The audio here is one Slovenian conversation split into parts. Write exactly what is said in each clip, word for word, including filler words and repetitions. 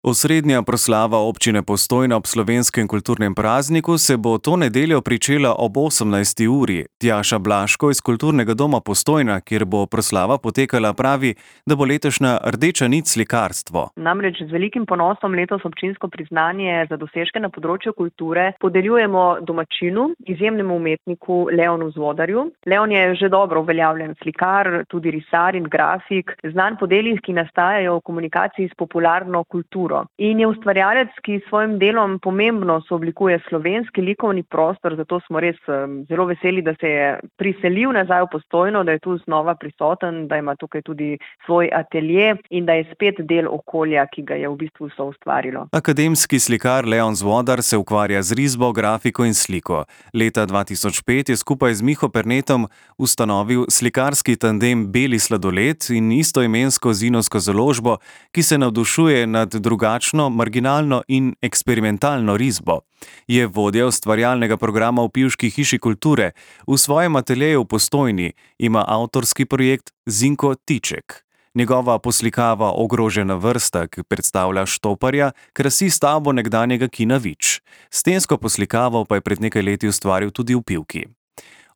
Osrednja proslava občine Postojna ob slovenskem kulturnem prazniku se bo to nedeljo pričela ob osemnajsti uri. Tjaša Blaško iz Kulturnega doma Postojna, kjer bo proslava potekala, pravi, da bo letošnja rdeča nit slikarstvo. Namreč z velikim ponosom letos občinsko priznanje za dosežke na področju kulture podeljujemo domačinu, izjemnemu umetniku Leonu Zvodarju. Leon je že dobro uveljavljen slikar, tudi risar in grafik, znan po delih, ki nastajajo v komunikaciji s popularno kulturo. In je ustvarjalec, ki s svojim delom pomembno sooblikuje slovenski likovni prostor, zato smo res zelo veseli, da se je priselil nazaj v Postojno, da je tu znova prisoten, da ima tukaj tudi svoj atelje in da je spet del okolja, ki ga je v bistvu soustvarilo. Akademski slikar Leon Zvodar se ukvarja z risbo, grafiko in sliko. Leta dva tisoč pet je skupaj z Miho Pernetom ustanovil slikarski tandem Beli sladoled in istoimensko zinovsko založbo, ki se navdušuje nad drugačno, marginalno in eksperimentalno risbo. Je vodja ustvarjalnega programa v Pivški hiši kulture. V svojem ateljeju v Postojni ima avtorski projekt Zinko Tiček. Njegova poslikava Ogrožena vrsta, ki predstavlja štoparja, krasi stavbo nekdanjega kina Vič. Stensko poslikavo pa je pred nekaj leti ustvaril tudi v Pivki.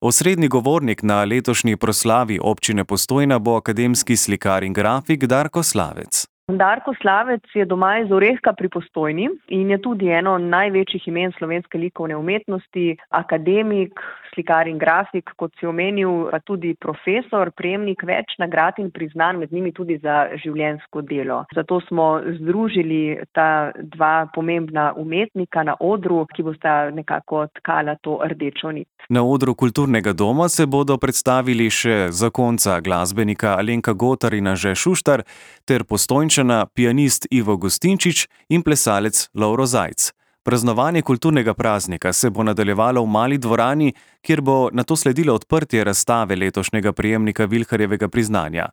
Osrednji govornik na letošnji proslavi občine Postojna bo akademski slikar in grafik Darko Slavec. Darko Slavec je doma iz Orehka pri Postojni in je tudi eno največjih imen slovenske likovne umetnosti, akademik, slikar in grafik, kot si omenil, pa tudi profesor, prejemnik več nagrad in priznanj, med njimi tudi za življenjsko delo. Zato smo združili ta dva pomembna umetnika na odru, ki bosta nekako tkala to rdečo nit. Na odru Kulturnega doma se bodo predstavili še zakonca glasbenika Alenka Gotar in Anže Šuštar ter Postojnčana pianist Ivo Gustinčič in plesalec Lovro Zajc. Praznovanje kulturnega praznika se bo nadaljevalo v Mali dvorani, kjer bo nato sledilo odprtje razstave letošnjega prejemnika Vilharjevega priznanja.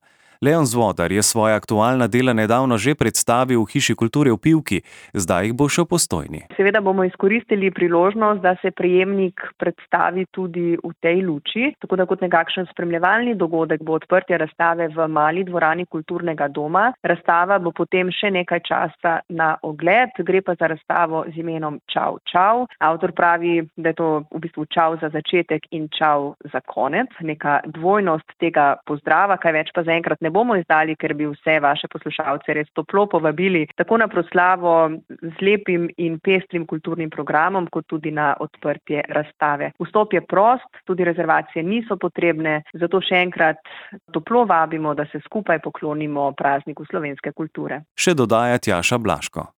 Leon Zvodar je svoja aktualna dela nedavno že predstavil v Hiši kulture v Pivki, zdaj jih bo še v Postojni. Seveda bomo izkoristili priložnost, da se prejemnik predstavi tudi v tej luči, tako da kot nekakšen spremljevalni dogodek bo odprtje razstave v Mali dvorani Kulturnega doma. Razstava bo potem še nekaj časa na ogled, gre pa za razstavo z imenom Čau, čau. Avtor pravi, da je to v bistvu čau za začetek in čau za konec, neka dvojnost tega pozdrava, kaj več pa zaenkrat ne bomo izdali, ker bi vse vaše poslušalce res toplo povabili tako na proslavo z lepim in pestrim kulturnim programom, kot tudi na odprtje razstave. Vstop je prost, tudi rezervacije niso potrebne, zato še enkrat toplo vabimo, da se skupaj poklonimo prazniku slovenske kulture. Še dodaja Tjaša Blaško.